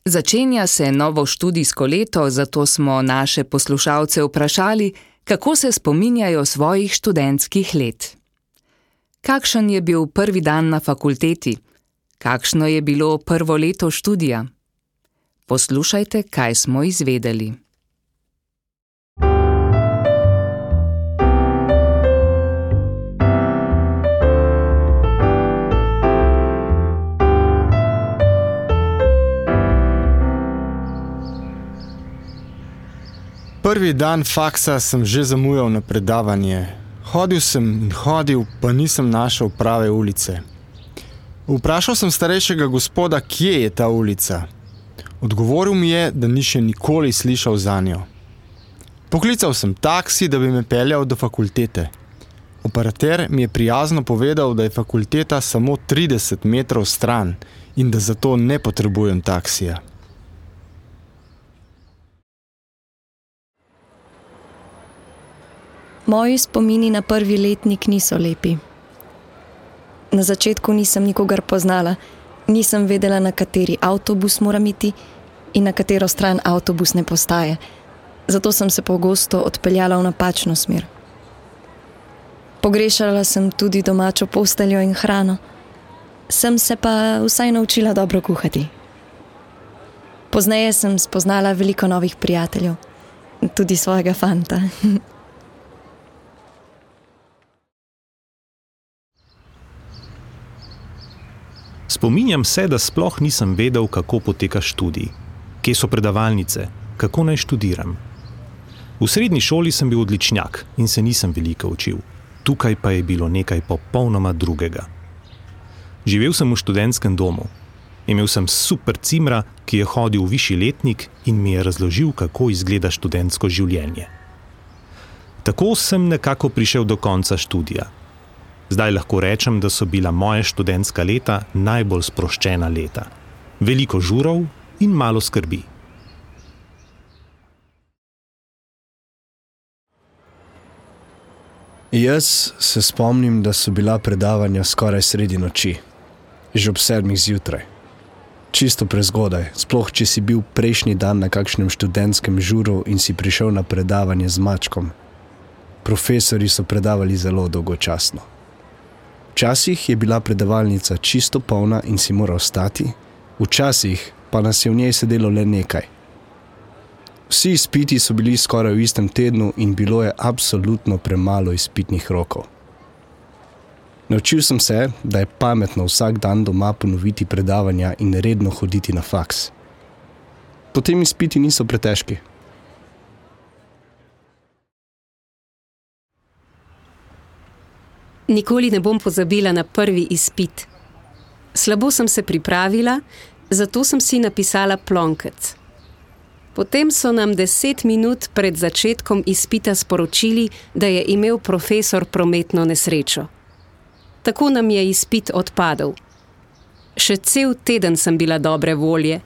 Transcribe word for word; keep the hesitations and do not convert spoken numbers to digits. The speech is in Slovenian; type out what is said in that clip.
Začenja se novo študijsko leto, zato smo naše poslušalce vprašali, kako se spominjajo svojih študentskih let. Kakšen je bil prvi dan na fakulteti? Kakšno je bilo prvo leto študija? Poslušajte, kaj smo izvedeli. Prvi dan faksa sem že zamujal na predavanje. Hodil sem in hodil, pa nisem našel prave ulice. Vprašal sem starejšega gospoda, kje je ta ulica. Odgovoril mi je, da ni še nikoli slišal zanjo. Poklical sem taksi, da bi me peljal do fakultete. Operater mi je prijazno povedal, da je fakulteta samo trideset metrov stran in da zato ne potrebujem taksija. Moji spomini na prvi letnik niso lepi. Na začetku nisem nikogar poznala, nisem vedela, na kateri avtobus moram iti in na katero stran avtobusne postaje. Zato sem se pogosto odpeljala v napačno smer. Pogrešala sem tudi domačo posteljo in hrano. Sem se pa vsaj naučila dobro kuhati. Pozneje sem spoznala veliko novih prijateljev, tudi svojega fanta. Spominjam se, da sploh nisem vedel, kako poteka študij, kje so predavalnice, kako naj študiram. V srednji šoli sem bil odličnjak in se nisem veliko učil. Tukaj pa je bilo nekaj popolnoma drugega. Živel sem v študentskem domu. Imel sem super cimra, ki je hodil v višji letnik in mi je razložil, kako izgleda študentsko življenje. Tako sem nekako prišel do konca študija. Zdaj lahko rečem, da so bila moje študentska leta najbolj sproščena leta. Veliko žurov in malo skrbi. Jaz se spomnim, da so bila predavanja skoraj sredi noči, že ob sedmih zjutraj. Čisto prezgodaj, sploh če si bil prejšnji dan na kakšnem študentskem žuru in si prišel na predavanje z mačkom. Profesori so predavali zelo dolgočasno. Včasih je bila predavalnica čisto polna in si moral stati, včasih pa nas je v njej sedelo le nekaj. Vsi izpiti so bili skoraj v istem tednu in bilo je absolutno premalo izpitnih rokov. Naučil sem se, da je pametno vsak dan doma ponoviti predavanja in redno hoditi na faks. Potem izpiti niso pretežki. Nikoli ne bom pozabila na prvi izpit. Slabo sem se pripravila, zato sem si napisala plonkec. Potem so nam deset minut pred začetkom izpita sporočili, da je imel profesor prometno nesrečo. Tako nam je izpit odpadel. Še cel teden sem bila dobre volje,